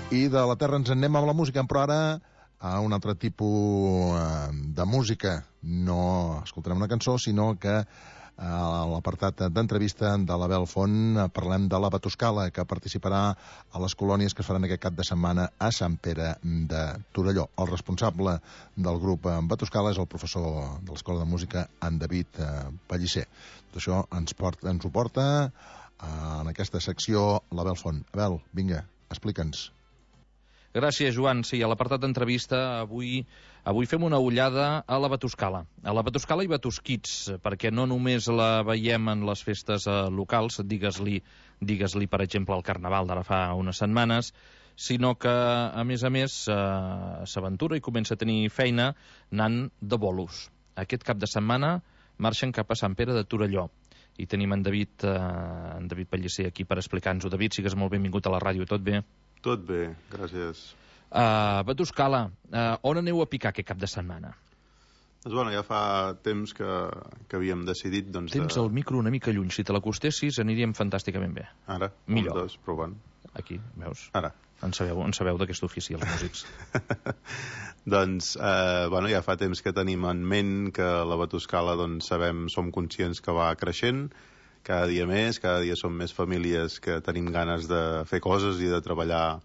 I de la terra ens anem amb la música, però ara a un altre tipus de música. No escoltarem una cançó, sinó que a l'apartat d'entrevista de l'Abel Font parlem de la Batuscala, que participarà a les colònies que es faran aquest cap de setmana a Sant Pere de Torelló. El responsable del grup Batuscala és el professor de l'Escola de Música, en David Pellicer. Tot això ens ho porta en aquesta secció l'Abel Font. Abel, vinga, explica'ns. Gràcies, Joan. Sí, a l'apartat d'entrevista avui fem una ullada a la Batuscala. A la Batuscala i Batusquits, perquè no només la veiem en les festes locals, digues-li, per exemple, el Carnaval d'ara fa unes setmanes, sinó que, a més, s'aventura i comença a tenir feina anant de bolos. Aquest cap de setmana marxen cap a Sant Pere de Torelló. I tenim en David Pellicer aquí per explicar-nos-ho. David, sigues molt benvingut a la ràdio. Tot bé? Tot bé, gràcies. Batuscala, on aneu a picar aquest cap de setmana? Doncs bueno, ja fa temps que havíem decidit... Tens el micro una mica lluny. Si te l'acostessis aniríem fantàsticament bé. Ara? Millor. Un, dos, provant. Aquí, veus? Ara. En sabeu d'aquest ofici, els músics. Doncs, bueno, ja fa temps que tenim en ment que la Batuscala, doncs, som conscients que va creixent, cada dia més, cada dia som més famílies que tenim ganes de fer coses i de treballar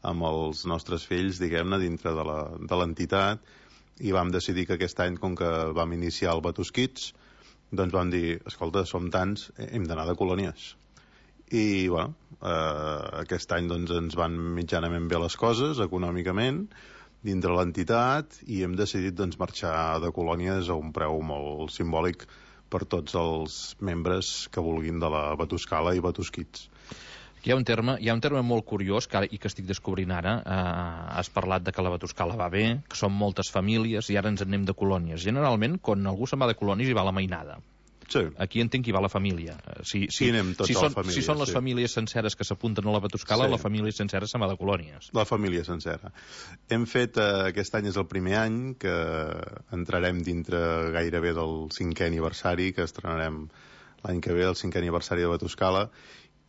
amb els nostres fills, diguem-ne, dintre de l'entitat, i vam decidir que aquest any, com que vam iniciar el Batusquits, doncs vam dir, escolta, som tants, hem d'anar de colònies. I, bueno, aquest any doncs, ens van mitjanament bé les coses, econòmicament, dintre l'entitat, i hem decidit doncs, marxar de colònies a un preu molt simbòlic per tots els membres que vulguin de la Batuscala i Batusquits. Hi ha un terme molt curiós i que estic descobrint ara. Has parlat de que la Batuscala va bé, que són moltes famílies i ara ens en anem de colònies. Generalment, quan algú se'n va de colònies hi va la mainada. Sí. Aquí entenc que hi va la família. Si són les famílies senceres que s'apunten a la Batuscala, la família sencera se'n va de colònies. La família sencera. Hem fet, aquest any és el primer any que entrarem dintre gairebé del 5è aniversari, que estrenarem l'any que ve, el 5è aniversari de Batuscala,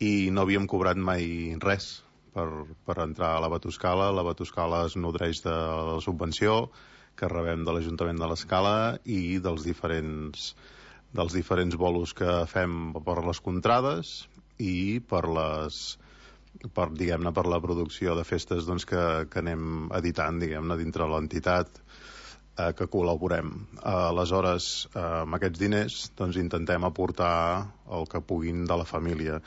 i no havíem cobrat mai res per entrar a la Batuscala. La Batuscala es nodreix de la subvenció que rebem de l'Ajuntament de l'Escala i dels diferents bolos que fem per les contrades i per la producció de festes doncs, que anem editant, diguem-ne, dintre l'entitat que col·laborem. Aleshores, amb aquests diners doncs, intentem aportar el que puguin de la família.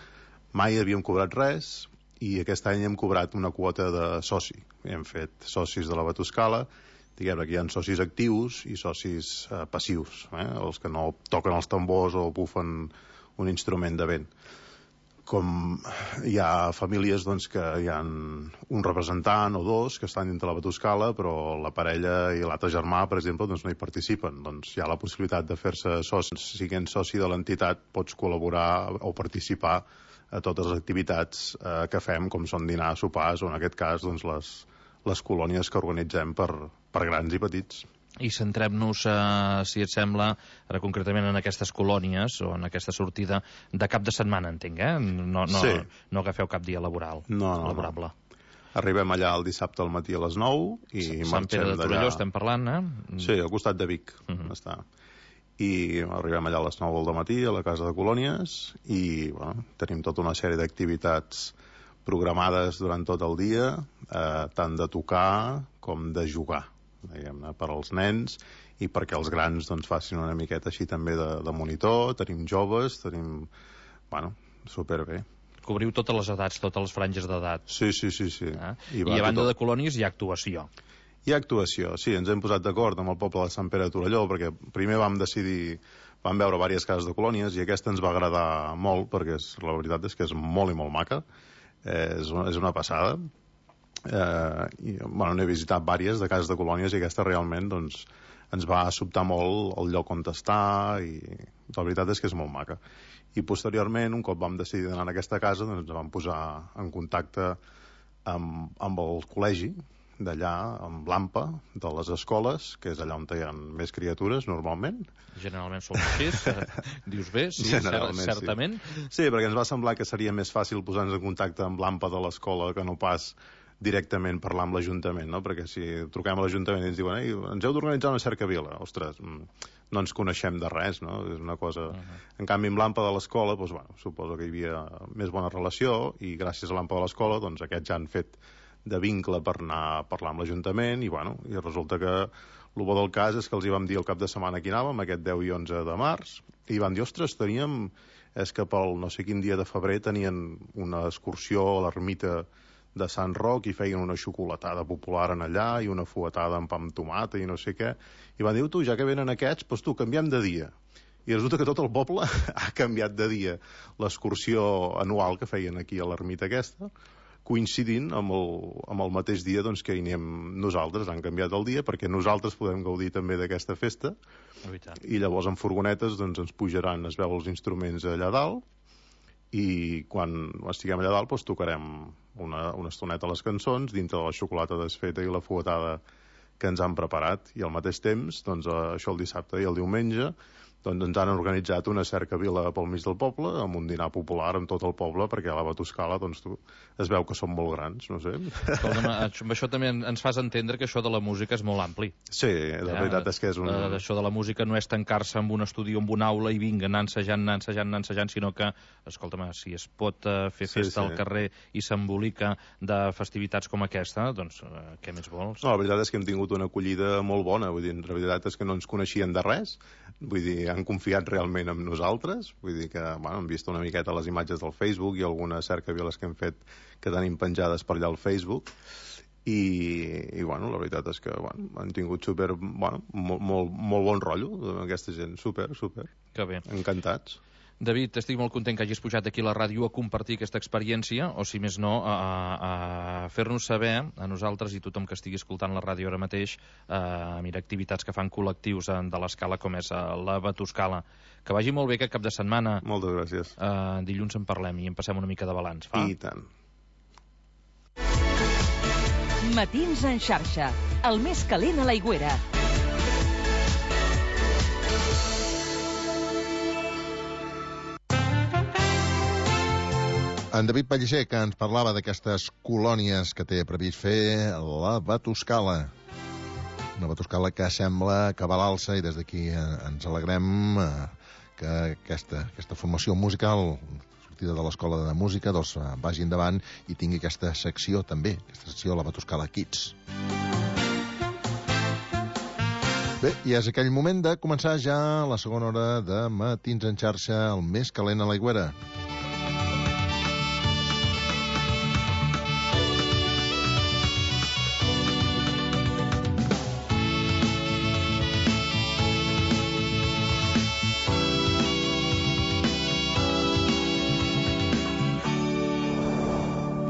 Mai havíem cobrat res i aquest any hem cobrat una quota de soci. Hem fet socis de la Batuscala. Diguem que hi ha socis actius i socis passius, els que no toquen els tambors o bufen un instrument de vent. Com hi ha famílies doncs, que hi ha un representant o dos que estan dintre la Batuscala, però la parella i l'altre germà, per exemple, doncs no hi participen. Doncs hi ha la possibilitat de fer-se soci. Siguent soci de l'entitat pots col·laborar o participar a totes les activitats que fem, com són dinars, sopars o en aquest cas doncs, les colònies que organitzem per grans i petits. I centrem-nos, si et sembla, ara concretament en aquestes colònies o en aquesta sortida de cap de setmana, entenc, eh? Sí. No agafeu cap dia laborable. Arribem allà el dissabte al matí a les 9 i Sant Pere de Torelló estem parlant, eh? Sí, al costat de Vic està. I arribem allà a les 9 del matí a la Casa de Colònies i bueno, tenim tota una sèrie d'activitats programades durant tot el dia, tant de tocar com de jugar, diguem-ne, per als nens i perquè els grans doncs, facin una miqueta així també de monitor. Tenim joves, bueno, superbé. Cobriu totes les edats, totes les franges d'edat. Sí. I a banda de colònies hi ha actuació. Hi ha actuació, sí, ens hem posat d'acord amb el poble de Sant Pere de Torelló, perquè primer vam veure diverses cases de colònies i aquesta ens va agradar molt, perquè la veritat és que és molt i molt maca, és una passada. Bueno, n'he visitat diverses de cases de colònies i aquesta realment doncs, ens va sobtar molt el lloc on està i la veritat és que és molt maca. I posteriorment, un cop vam decidir d'anar a aquesta casa, doncs ens vam posar en contacte amb el col·legi d'allà, amb l'AMPA de les escoles, que és allà on hi ha més criatures normalment. Generalment són així, dius bé, sí, certament. Sí, perquè ens va semblar que seria més fàcil posar-nos en contacte amb l'AMPA de l'escola que no pas directament parlar amb l'Ajuntament, no? Perquè si truquem a l'Ajuntament i ens diuen ens heu d'organitzar una cercavila, ostres, no ens coneixem de res, no? És una cosa... En canvi, amb l'AMPA de l'escola, doncs, bueno, suposo que hi havia més bona relació, i gràcies a l'AMPA de l'escola, doncs, aquests ja han fet de vincle per anar a parlar amb l'Ajuntament, i, bueno, i resulta que el bo del cas és que els hi vam dir el cap de setmana que hi anàvem, aquest 10 i 11 de març, i van dir, ostres, teníem... És que pel no sé quin dia de febrer tenien una excursió a l'ermita de Sant Roc i feien una xocolatada popular en allà i una fuetada amb pa amb tomata i no sé què. I van dir, tu, ja que venen aquests, doncs tu, canviem de dia. I resulta que tot el poble ha canviat de dia l'excursió anual que feien aquí a l'ermita aquesta, coincidint amb el mateix dia doncs, que hi anem nosaltres. Han canviat el dia perquè nosaltres podem gaudir també d'aquesta festa, i llavors en furgonetes doncs, ens pujaran, es veu els instruments allà dalt, i quan estiguem allà dalt doncs, tocarem una estoneta a les cançons dintre de la xocolata desfeta i la fuetada que ens han preparat, i al mateix temps doncs, això el dissabte i el diumenge doncs ens han organitzat una cercavila pel mig del poble, amb un dinar popular amb tot el poble, perquè a la Batuscala doncs, es veu que són molt grans, no sé. Escolta'm, amb això també ens fas entendre que això de la música és molt ampli. Sí, la veritat és que és Això de la música no és tancar-se en un estudi o en una aula i vinga, anar ensajant, sinó que, escolta'm, si es pot fer festa al carrer i s'embolica de festivitats com aquesta, doncs què més vols? No, la veritat és que hem tingut una acollida molt bona, vull dir, la veritat és que no ens coneixien de res, vull dir, han confiat realment en nosaltres, vull dir que, bueno, hem vist una miqueta les imatges del Facebook i algunes cercaviles que hem fet que tenim penjades per allà al Facebook, i bueno, la veritat és que, bueno, han tingut molt bon rotllo amb aquesta gent, super. Que bé. Encantats. David, estic molt content que hagis pujat aquí a la ràdio a compartir aquesta experiència, o si més no, a fer-nos saber, a nosaltres i tothom que estigui escoltant la ràdio ara mateix, mira, activitats que fan col·lectius de l'escala com és la Batuscala. Que vagi molt bé aquest cap de setmana. Moltes gràcies. Dilluns en parlem i en passem una mica de balanç. I tant. Matins en xarxa, el més calent a l'Aigüera. En David Pellicer, que ens parlava d'aquestes colònies que té previst fer la Batuscala. Una Batuscala que sembla que va a l'alça, i des d'aquí ens alegrem que aquesta formació musical, sortida de l'Escola de Música, doncs vagi endavant i tingui aquesta secció també, aquesta secció de la Batuscala Kids. Bé, i és aquell moment de començar ja la segona hora de Matins en xarxa, el més calent a l'Aigüera.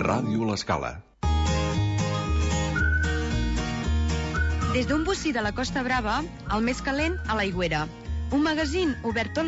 Ràdio L'Escala. Des d'un bocí de la Costa Brava, el més calent a l'Aigüera. Un magazín obert tot